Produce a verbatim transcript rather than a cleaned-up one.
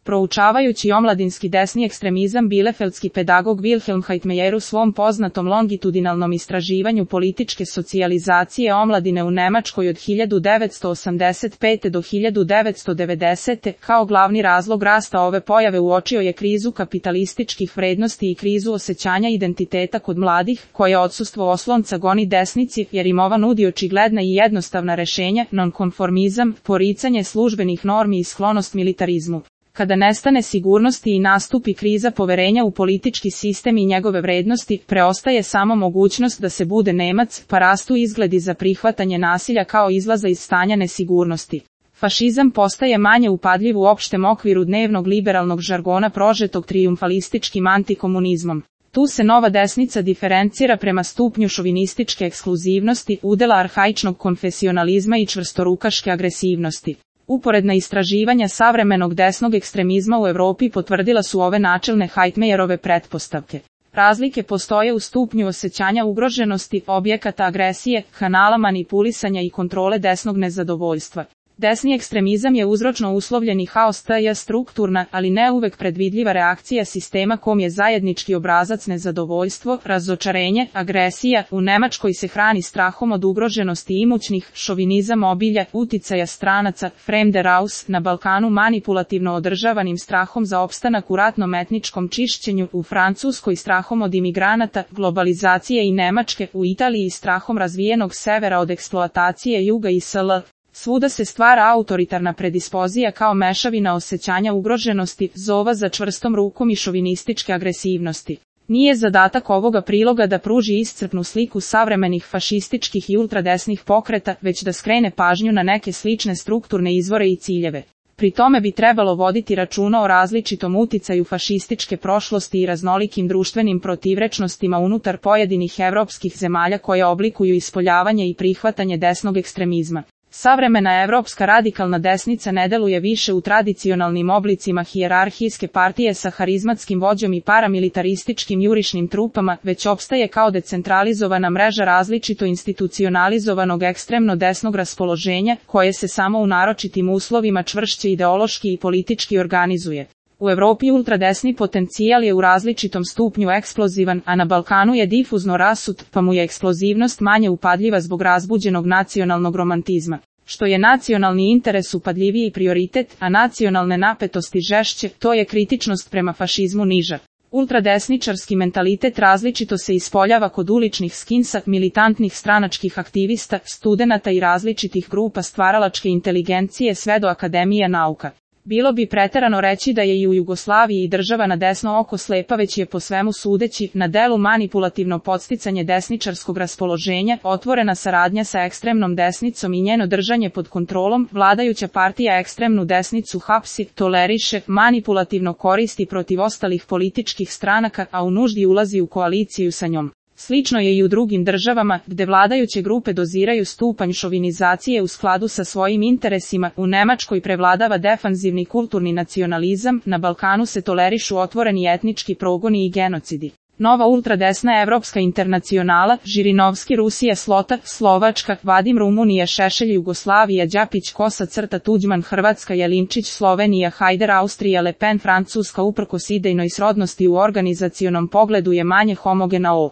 Proučavajući omladinski desni ekstremizam, bielefeldski pedagog Wilhelm Heitmeyer u svom poznatom longitudinalnom istraživanju političke socijalizacije omladine u Nemačkoj od hiljadu devetsto osamdeset pete do hiljadu devetsto devedesete kao glavni razlog rasta ove pojave uočio je krizu kapitalističkih vrednosti i krizu osjećanja identiteta kod mladih, koje odsustvo oslonca goni desnici, jer im ova nudi očigledna i jednostavna rešenja, nonkonformizam, poricanje službenih normi i sklonost militarizmu. Kada nestane sigurnosti i nastupi kriza poverenja u politički sistem i njegove vrednosti, preostaje samo mogućnost da se bude Nemac, pa rastu izgledi za prihvatanje nasilja kao izlaza iz stanja nesigurnosti. Fašizam postaje manje upadljiv u opštem okviru dnevnog liberalnog žargona prožetog trijumfalističkim antikomunizmom. Tu se nova desnica diferencira prema stupnju šovinističke ekskluzivnosti, udela arhaičnog konfesionalizma i čvrstorukaške agresivnosti. Uporedna istraživanja savremenog desnog ekstremizma u Evropi potvrdila su ove načelne Heitmeyerove pretpostavke. Razlike postoje u stupnju osjećanja ugroženosti, objekata agresije, kanala manipulisanja i kontrole desnog nezadovoljstva. Desni ekstremizam je uzročno uslovljeni haos tj. strukturna, ali ne uvek predvidljiva reakcija sistema kom je zajednički obrazac nezadovoljstvo, razočarenje, agresija. U Nemačkoj se hrani strahom od ugroženosti imućnih, šovinizam obilja, uticaja stranaca, Fremderaus, na Balkanu manipulativno održavanim strahom za opstanak u ratnom etničkom čišćenju, u Francuskoj strahom od imigranata, globalizacije i Nemačke, u Italiji strahom razvijenog severa od eksploatacije juga i sl. Svuda se stvara autoritarna predispozija kao mešavina osjećanja ugroženosti, zova za čvrstom rukom i šovinističke agresivnosti. Nije zadatak ovoga priloga da pruži iscrpnu sliku savremenih fašističkih i ultradesnih pokreta, već da skrene pažnju na neke slične strukturne izvore i ciljeve. Pri tome bi trebalo voditi računa o različitom uticaju fašističke prošlosti i raznolikim društvenim protivrečnostima unutar pojedinih evropskih zemalja koje oblikuju ispoljavanje i prihvatanje desnog ekstremizma. Savremena evropska radikalna desnica ne deluje više u tradicionalnim oblicima hijerarhijske partije sa harizmatskim vođom i paramilitarističkim jurišnim trupama, već opstaje kao decentralizovana mreža različito institucionalizovanog ekstremno desnog raspoloženja, koje se samo u naročitim uslovima čvršće ideološki i politički organizuje. U Evropi ultradesni potencijal je u različitom stupnju eksplozivan, a na Balkanu je difuzno rasut, pa mu je eksplozivnost manje upadljiva zbog razbuđenog nacionalnog romantizma. Što je nacionalni interes upadljiviji prioritet, a nacionalne napetosti žešće, to je kritičnost prema fašizmu niža. Ultradesničarski mentalitet različito se ispoljava kod uličnih skinsa, militantnih stranačkih aktivista, studenata i različitih grupa stvaralačke inteligencije sve do akademije nauka. Bilo bi preterano reći da je i u Jugoslaviji država na desno oko slepa, već je po svemu sudeći na delu manipulativno podsticanje desničarskog raspoloženja, otvorena saradnja sa ekstremnom desnicom i njeno držanje pod kontrolom. Vladajuća partija ekstremnu desnicu hapsi, toleriše, manipulativno koristi protiv ostalih političkih stranaka, a u nuždi ulazi u koaliciju sa njom. Slično je i u drugim državama, gde vladajuće grupe doziraju stupanj šovinizacije u skladu sa svojim interesima. U Nemačkoj prevladava defanzivni kulturni nacionalizam, na Balkanu se tolerišu otvoreni etnički progoni i genocidi. Nova ultradesna Evropska internacionala, Žirinovski, Rusija, Slota, Slovačka, Vadim, Rumunija, Šešelj, Jugoslavija, Đapić, Kosa, Crta, Tuđman, Hrvatska, Jelinčić, Slovenija, Hajder, Austrija, Le Pen, Francuska, uprkos idejnoj srodnosti u organizacionom pogledu je manje homogena. O